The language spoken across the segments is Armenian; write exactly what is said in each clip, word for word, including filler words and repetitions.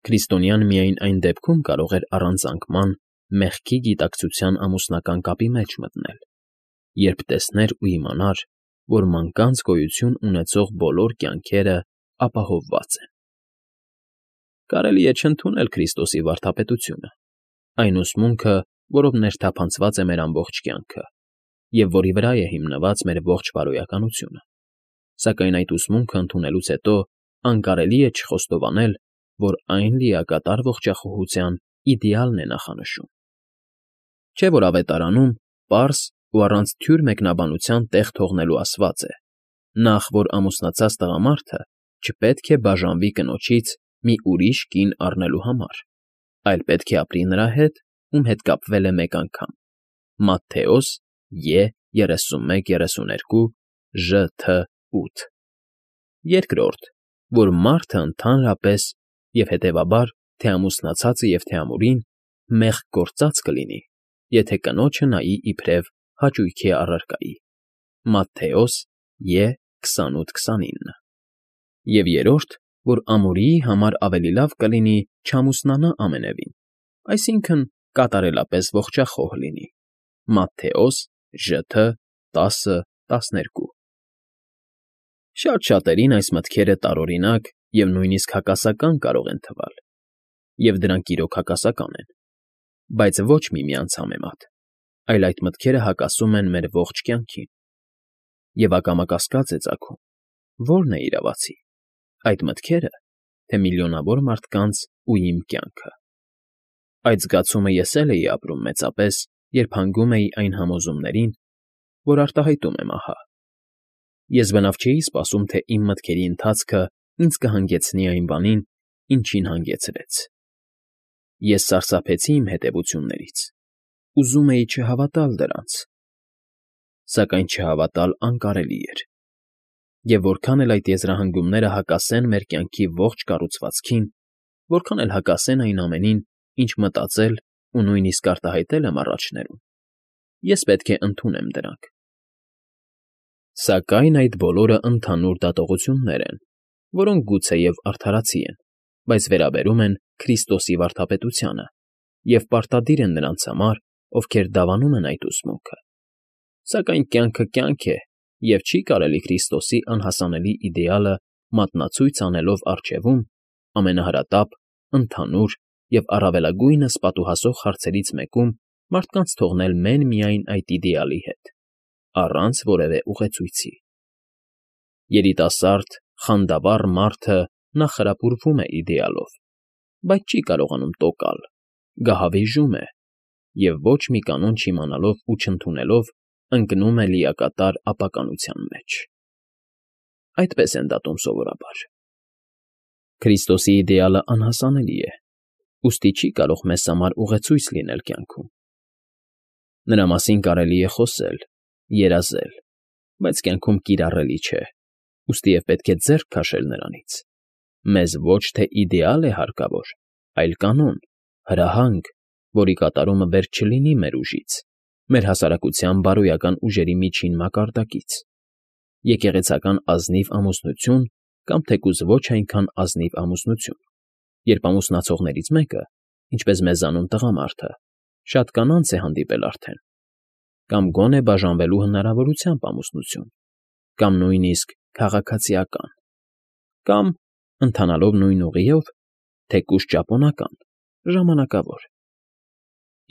Քրիստոնյան միայն այն դեպքում կարող էր առանց անկման մեղքի գիտակցության ամուսնական կապի մեջ մտնել, երբ տեսներ ու իմանար, որ մանկանց գոյություն ունեցող բոլոր կյանքերը ապահովված են։ Կարելի է չընդունել Քրիստոսի վարդապետությունը, այն ուսմունքը, որով ներթափանցված է մեր ամբողջ կյանքը, և որի վրա է հիմնված մեր ողջ բարոյականությունը, սակայն այդ ուսմունքը ընդունելուց հետո անկարելի է չխոստովանել, որ այն լիակատար ողջախոհության իդեալն է նախանշում։ Չէ՞ որ Ավետարանում պարզ ու առանց թյուր մեկնաբանության տեղ թողնելու ասված է. նախ, որ ամուսնացած տղամարդը չպետք է բաժանվի կնոջից մի ուրիշ կին առնելու համար, այլ պետք է ապրի նրա հետ, ում հետ կապվել է մեկ անգամ (Մատթեոս Ե երեսունմեկ երեսուներկու Ժ Թ ութ)։ Երկրորդ, որ մարդը ընդհանրապես և հետևաբար թե ամուսնացածը և թե ամուրին մեղք գործած կլինի, եթե կնոջը նայի իբրև հաճույքի առարկայի (Մատթեոս Ե քսանութ քսանինը)։ Եվ երրորդ, որ ամուրիի համար ավելի լավ կլինի չամուսնանա ամենևին, այսինքն՝ կատարելապես ողջախոհ լինի (Մատթեոս Ժ Թ տասը տասներկու)։ Շատ շատերին այս մտքերը տարօրինակ և նույնիսկ հակասական կարող են թվալ, և դրանք իրոք հակասական են, բայց ոչ միմյանց համեմատ, այլ այդ մտքերը հակասում են մեր ողջ կյանքին։ Եվ ակամա կասկած է ծագում. ո՞րն է իրավացի՝ այդ մտքերը, թե միլիոնավոր մարդկանց ու իմ կյանքը։ Այդ զգացումը ես էլ էի ապրում մեծապես, երբ հանգում էի այն համոզումներին, որ արտահայտում եմ ահա։ Ես բնավ չէի սպասում, թե իմ մտքերի ընթացքը ինձ կհանգեցնի այն բանին, ինչին հանգեցրեց։ Ես սարսափեցի իմ հետևություններից, ուզում էի չհավատալ դրանց, սակայն չհավատալ անկարելի էր։ Եվ որքան էլ այդ եզրահանգումները հակասեն մեր կյանքի ողջ կառուցվածքին, որքան էլ հակասեն այն ամենին, ինչ մտածել ու նույնիսկ արտահայտել եմ առաջներում, ես պետք է ընդունեմ դրանք։ Սակայն այդ բոլորը ընդհանուր դատողություններ են, որոնք գուցեև արդարացի են, բայց վերաբերում են Քրիստոսի վարդապետությանը և պարտադիր են նրանց համար, ովքեր դավանում են այդ ուսմունքը։ Սակայն կյանքը կյանք է, և չի կարելի Քրիստոսի անհասանելի իդեալը մատնացույց անելով առջևում, ամենահրատապ, ընդհանուր և առավելագույնս պատուհասող հարցերից մեկում մարդկանց թողնել մեն֊միայն այդ իդեալի հետ, առանց որևէ ուղեցույցի։ Երիտասարդ, խանդավառ մարդը նախխրապուրվում է իդեալով, բայց չի կարողանում տոկալ, գահավիժում է և ոչ մի կանոն չիմանալով ու չընդունելով ընկնում է լիակատար ապականության մեջ։ Այդպես են դատում սովորաբար։ Քրիստոսի իդեալը անհասանելի է, ուստի չի կարող մեզ համար ուղեցույց լինել կյանքում։ Նրա մասին կարելի է խոսել, երազել, բայց կյանքում կիրառելի չէ, ուստի և պետք է ձեռք քաշել նրանից։ Մեզ ոչ թե իդեալ է հարկավոր, այլ կանոն, հրահանգ, որի կատարումը վեր չլինի մեր ուժից, մեր հասարակության բարոյական ուժերի միջին մակարդակից։ Եկեղեցական ազնիվ ամուսնություն կամ թեկուզ ոչ այնքան ազնիվ ամուսնություն, երբ ամուսնացողներից մեկը, ինչպես մեզանում տղամարդը, շատ կանանց է հանդիպել արդեն, կամ գոնե բաժանվելու հնարավորությամբ ամուսնություն, կամ նույնիսկ քաղաքացիական, կամ, ընթանալով նույն ուղիով, թեկուզ ճապոնական, ժամանակավոր։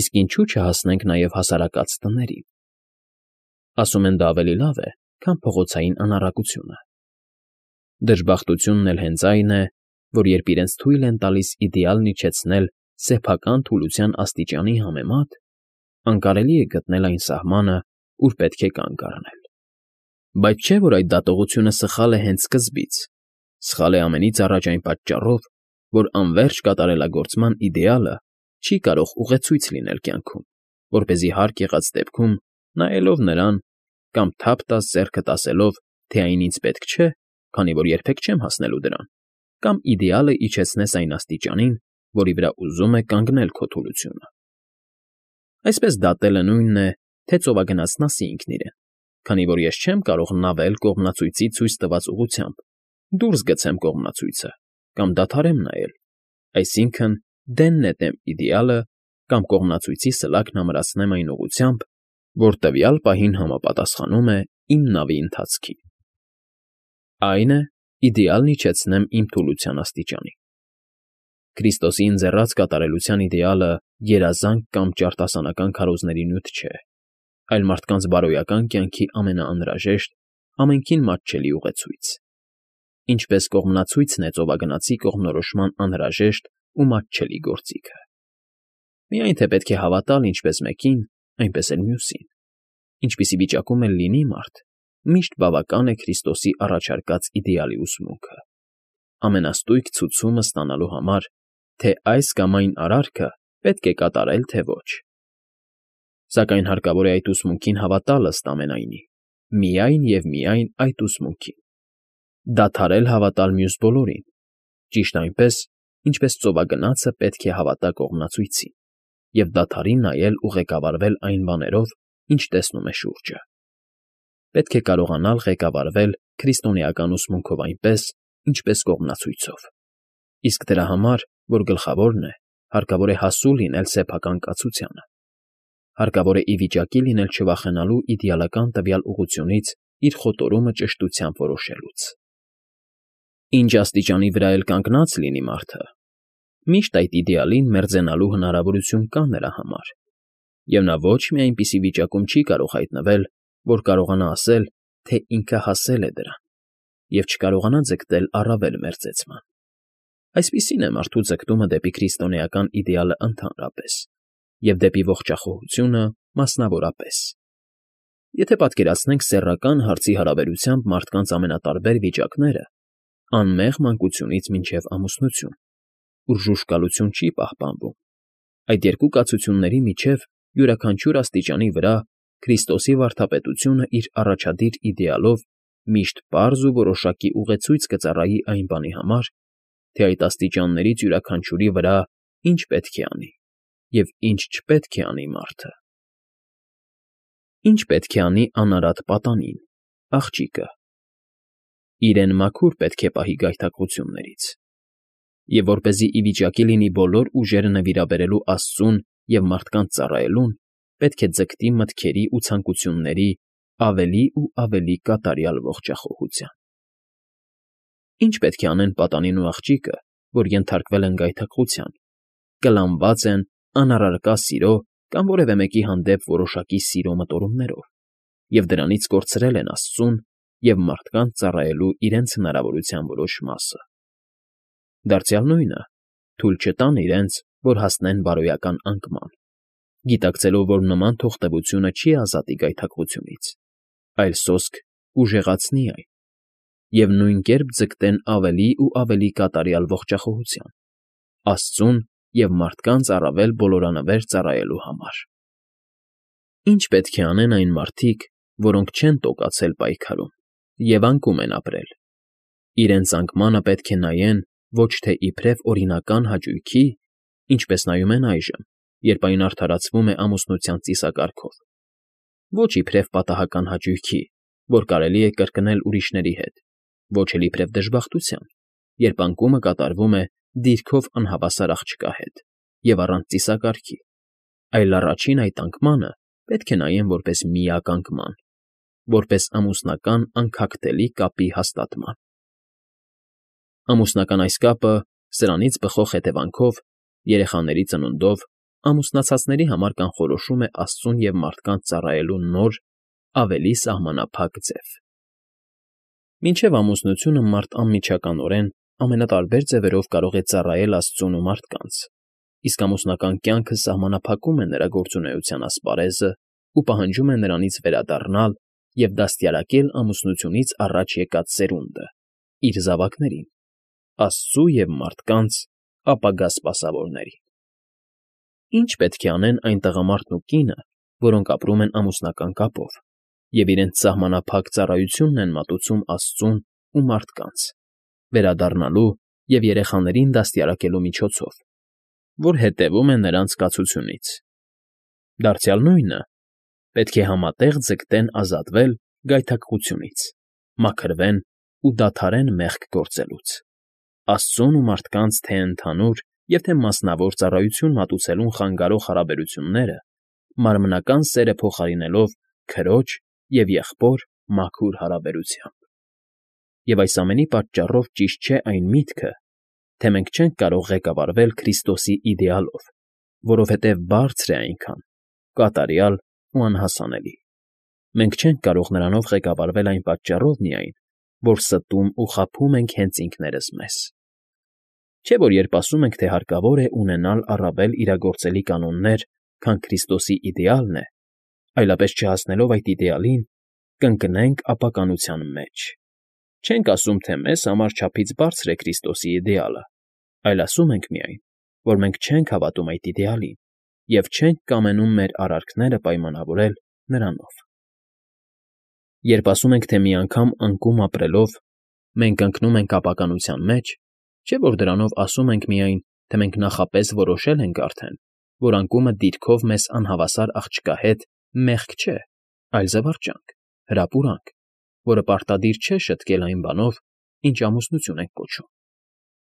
Իսկ ինչու՞ չհասնենք նաև հասարակած տներին։ Ասում են դա ավելի լավ է, քան փողոցային անառակությունը։ Դժբախտությունն էլ հենց այն է, որ երբ իրենց թույլ են տալիս իդեալն իջեցնել սեփական թուլության աստիճանի համեմատ, անկարելի է գտնել այն սահմանը, ուր պետք է կանգ առնել։ Բայց չէ՞ որ այդ դատողությունը սխալ է հենց սկզբից, սխալ է ամենից առաջ այն պատճառով, որ անվերջ կատարելագործման իդեալը չի կարող ուղեցույց լինել կյանքում, որպեսզի հարկ եղած դեպքում, նայելով նրան, կամ թափ տաս ձեռքդ ասելով, թե այն ինձ պետք չէ, քանի որ երբեք չեմ հասնելու դրան, կամ իդեալը իջեցնես այն աստիճանին, որի վրա ուզում է կանգնել քո թուլությունը։ Այսպես դատելը նույնն է, թե ծովագնացն ասի ինքն իրեն, քանի որ ես չեմ կարող նավել կողմնացույցի ցույց տված ուղղությամբ, դուրս գցեմ կողմնացույցը կամ դադարեմ նայել, Այսինքն՝ դեն նետեմ իդեալը կամ կողմնացույցի սլաքն ամրացնեմ այն ուղղությամբ, որ տվյալ պահին համապատասխանում է իմ նավի ընթացքին։ Այն է, իդեալն իջեցնեմ իմ թուլության աստիճանին։ Քրիստոսի ընձեռած կատարելության իդեալը երազանք կամ ճարտասանական քարոզների նյութ չէ, այլ մարդկանց բարոյական կյանքի ամենաանհրաժեշտ, ամենքին մատչելի ուղեցույց, ինչպես կողմնացույցն է ծովագնացի կողմնորոշման անհրաժեշտ ու մատչելի գործիքը։ Միայն թե պետք է հավատալ ինչպես մեկին, այնպես էլ մյուսին, ինչպիսի վիճակում էլ լինի մարդ, միշտ բավական է Քրիստոսի առաջարկած իդեալի ուսմունքը, ամենաստույգ ցուցումը ստանալու համար, թե այս կամ այն արարքը պետք է կատարել, թե ոչ։ Սակայն հարկավոր է այդ ուսմունքին հավատալ ըստ ամենայնի, միայն և միայն այդ ուսմունքին, դադարել հավատալ մյուս բոլորին, ճիշտ այնպես, ինչպես ծովագնացը պետք է հավատա կողմնացույցին և դադարի նայել ու ղեկավարվել այն բաներով, ինչ տեսնում է շուրջը։ Պետք է կարողանալ ղեկավարվել քրիստոնեական ուսմունքով այնպես, ինչպես կողմնացույցով, իսկ դրա համար, որ գլխավորն է, հարկավոր է հասու լինել սեփական կացությանը, հարկավոր է ի վիճակի լինել չվախենալու իդեալական տվյալ ուղղությունից իր խոտորումը ճշտությամբ որոշելուց։ Ինչ աստիճանի վրա էլ կանգնած լինի մարդը, միշտ այդ իդեալին մերձենալու հնարավորություն կա նրա համար, և նա ոչ մի այնպիսի վիճակում չի կարող հայտնվել, որ կարողանա ասել, թե ինքը հասել է դրան, և չկարողանա ձգտել առավել մերձեցման։ Այսպիսին է մարդու ձգտումը դեպի քրիստոնեական իդեալը ընդհանրապես և դեպի ողջախոհությունը մասնավորապես։ Եթե պատկերացնենք սեռական հարցի հարաբերությամբ մարդկանց ամենատարբեր վիճակները, անմեղ մանկությունից մինչև ամուսնություն, ուր ժուժկալություն չի պահպանվում, այդ երկու կացությունների միջև յուրաքանչյուր աստիճանի վրա Քրիստոսի վարդապետությունը իր առաջադիր իդեալով միշտ պարզ ու որոշակի ուղեցույց կծառայի այն բանի համար, թե այդ աստիճաններից յուրաքանչյուրի վրա ինչ պետք է անի և ինչ չպետք է անի մարդը։ Ինչ պետք է անի անարատ պատանին, աղջիկը։ Իրեն մաքուր պետք է պահի գայթակղություններից, և որպեսզի ի վիճակի լինի բոլոր ուժերը նվիրաբերելու Աստծուն և մարդկանց ծառայելուն, պետք է ձգտի մտքերի ու ցանկությունների ավելի ու ավելի կատարյալ ողջախոհության։ Ինչ պետք է անեն պատանին ու աղջիկը, որ ենթարկվել են գայթակղության, կլանված են անառարկա սիրո կամ որևէ մեկի հանդեպ որոշակի սիրո մտորումներով և դրանից կորցրել են Աստծուն և մարդկանց ծառայելու իրենց հնարավորության որոշ մասը։ Դարձյալ նույնը թույլ չտան իրենց, որ հասնեն բարոյական անկման, գիտակցելով, որ նման թողտևությունը չի ազատի գայթակղությունից, այլ սոսկ կուժեղացնի այն, և նույն կերպ ձգտեն ավելի ու ավելի կատարյալ ողջախոհության, Աստծուն և մարդկանց առավել բոլորանվեր ծառայելու համար։ Ինչ պետք է անեն այն մարդիկ, որոնք չեն տոկացել պայքարում և անկում են ապրել։ Իրենց անկմանը պետք է նայեն ոչ թե իբրև օրինական հաճույքի, ինչպես նայում են այժմ, երբ այն արդարացվում է ամուսնության ծիսակարգով, ոչ իբրև պատահական հաճույքի, որ կարելի է կրկնել ուրիշների հետ, ոչ էլ իբրև դժբախտության, երբ անկումը կատարվում է դիրքով անհավասար աղջկա հետ և առանց ծիսակարգի, այլ առաջին այդ անկմանը պետք է նայեն որպես միակ անկման, որպես ամուսնական անքակտելի կապի հաստատման։ Ամուսնական այս կապը սրանից բխող հետևանքով, երեխաների ծնունդով, ամուսնացածների համար կանխորոշում է Աստծուն և մարդկանց ծառայելու նոր, ավելի սահմանափակ ձև։ Մինչև ամուսնությունը մարդ անմիջականորեն ամենատարբեր ձևերով կարող է ծառայել Աստծուն ու մարդկանց, իսկ ամուսնական կյանքը սահմանափակում է նրա գործունեության ասպարեզը ու պահանջում է նրանից վերադառնալ և դաստիարակել ամուսնությունից առաջ եկած սերունդը՝ իր զավակներին, Աստծու և մարդկանց ապագա սպասավորներին։ Ինչ պետք է անեն այն տղամարդն ու կինը, որոնք ապրում են ամուսնական կապով և իրենց սահմանափակ ծառայությունն են մատուցում Աստծուն ու մարդկանց, վերադառնալու և երեխաներին դաստիարակելու միջոցով, որ հետևում է նրանց կացությունից։ Դարձյալ նույնը պետք է համատեղ ձգտեն ազատվել գայթակղությունից, մաքրվեն ու դադարեն մեղք գործելուց, Աստծուն ու մարդկանց թե՛ ընդհանուր, և թե մասնավոր ծառայություն մատուցելուն խանգարող հարաբերությունները մարմնական սերը փոխարինելով քրոջ և եղբոր մաքուր հարաբերությամբ։ Եվ այս ամենի պատճառով ճիշտ չէ այն միտքը, թե մենք չենք կարող ղեկավարվել Քրիստոսի իդեալով, որովհետև բարձր է այնքան, կատարյալ ու անհասանելի։ Մենք չենք կարող նրանով ղեկավարվել այն պատճառով միայն, որ ստում ու խաբում ենք հենց ինքներս մեզ։ Չէ՞ որ երբ ասում ենք, թե հարկավոր է ունենալ առավել իրագործելի կանոններ, քան Քրիստոսի իդեալն է, այլապես չհասնելով այդ իդեալին, կընկնենք ապականության մեջ։ Չենք ասում, թե մեզ համար չափից բարձր է Քրիստոսի իդեալը, այլ ասում ենք միայն, որ մենք չենք հավատում այդ իդեալին և չենք կամենում մեր արարքները պայմանավորել նրանով։ Երբ ասում ենք, թե մի անգամ անկում ապրելով մենք ընկնում ենք ապականության մեջ, չէ՞ որ դրանով ասում ենք միայն, թե մենք նախապես որոշել ենք արդեն, որ անկումը դիրքով մեզ անհավասար աղջկա հետ մեղք չէ, այլ զվարճանք, հրապուրանք, որը պարտադիր չէ շտկել այն բանով, ինչ ամուսնություն ենք կոչում։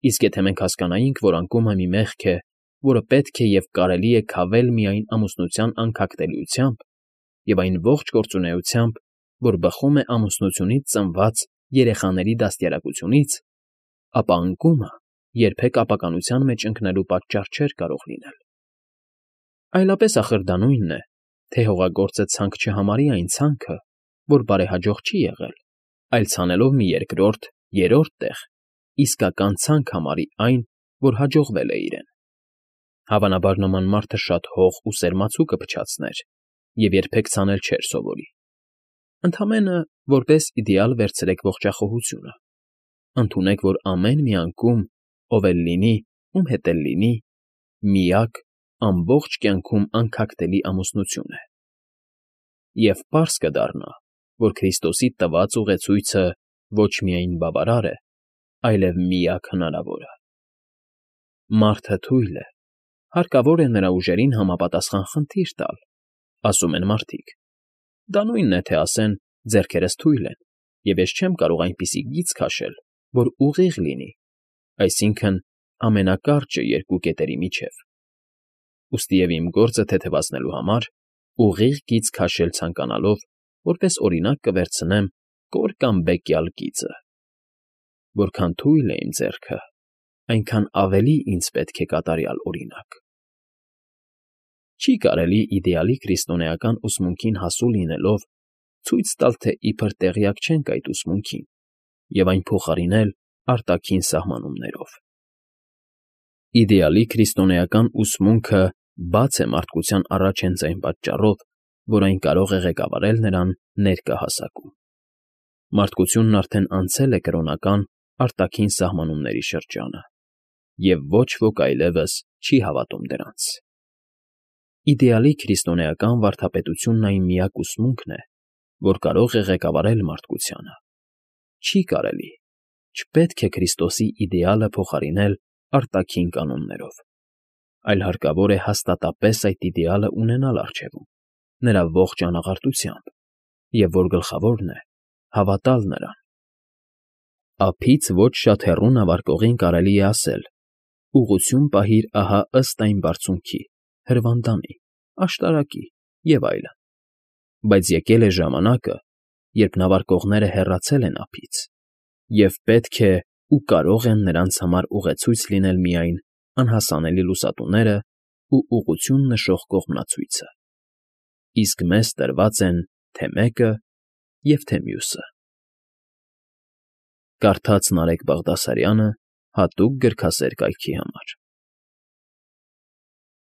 Իսկ եթե մենք հասկանայինք, որ անկումը մի մեղք է, որը պետք է և կարելի է քավել միայն ամուսնության անքակտելիությամբ և այն ողջ գործունեությամբ, որ բխում է ամուսնությունից ծնված երեխաների դաստիարակությունից, ապա անկումը երբեք ապականության մեջ ընկնելու պատճառ չէր կարող լինել։ Այլապես ախր դա նույնն է, թե հողագործը ցանկ չհամարի այն ցանքը, որ բարեհաջող չի եղել, այլ ցանելով մի երկրորդ, երրորդ տեղ, իսկական ցանկ համարի այն, որ հաջողվել է իրեն։ Հավանաբար նման մարդը շատ հող ու սերմացուկ կփչացներ և երբեք ցանել չէր սովորի։ Ընդամենը որպես իդեալ վերցրեք ողջախոհությունը։ Ընդունեք, որ ամեն մի անկում, ով էլ լինի, ում հետ էլ լինի, միակ, ամբողջ կյանքում անքակտելի ամուսնություն է։ Եվ պարզ կդառնա, որ Քրիստոսի տված ուղեցույցը ոչ միայն բավարար է, այլև միակ հնարավորը։ Մարդը թույլ է, հարկավոր է նրա ուժերին համապատասխան խնդիր տալ, ասում են մարդիկ։ Դա նույնն է, թե ասեն ձեռքերս թույլ են, և ես չեմ կարող այնպիսի գիծ քաշել, որ ուղիղ լինի, այսինքն՝ ամենակարճը երկու կետերի միջև։ Ուստիև իմ գործը թեթևացնելու համար ուղիղ գիծ քաշել ցանկանալով, որպես օրինակ կվերցնեմ կոր կամ բեկյալ գիծը։ Որքան թույլ է իմ ձեռքը, այնքան ավելի ինձ պետք է կատարյալ օրինակ։ Չի կարելի իդեալի քրիստոնեական ուսմունքին հասու լինելով ցույց տալ, թե իբր տեղյակ չենք այդ ուսմունքին, և այն փոխարինել արտաքին սահմանումներով։ Իդեալի քրիստոնեական ուսմունքը բաց է մարդկության առաջ հենց այն պատճառով, որ այն կարող է ղեկավարել նրան ներկա հասակում։ Մարդկությունն արդեն անցել է կրոնական արտաքին սահմանումների շրջանը, և ոչ ոք այլևս չի հավատում դրանց։ Իդեալի քրիստոնեական վարդապետությունն այն միակ ուսմունքն է, որ կարող է ղեկավարել մարդկությանը։ Չի կարելի, չպետք է Քրիստոսի իդեալը փոխարինել արտաքին կանոններով, այլ հարկավոր է հաստատապես այդ իդեալը ունենալ առջևում, նրա ողջ անաղարտությամբ, և որ գլխավորն է, հավատալ նրան։ Ափից ոչ շատ հեռու նավարկողին կարելի է ասել. «Ուղղություն պահիր ահա ըստ այն բարձունքի, հրվանդանի, աշտարակի» և այլն։ Բայց եկել է ժամանակը, երբ նավարկողները հեռացել են ափից, և պետք է ու կարող են նրանց համար ուղեցույց լինել միայն անհասանելի լուսատուները ու ուղղություն նշող կողմնացույցը։ Իսկ մեզ տրված են թե՛ մեկը և թե՛ մյուսը։ Կարդաց Նարեկ Բաղդասարյանը հատուկ գրքասեր կայքի համար։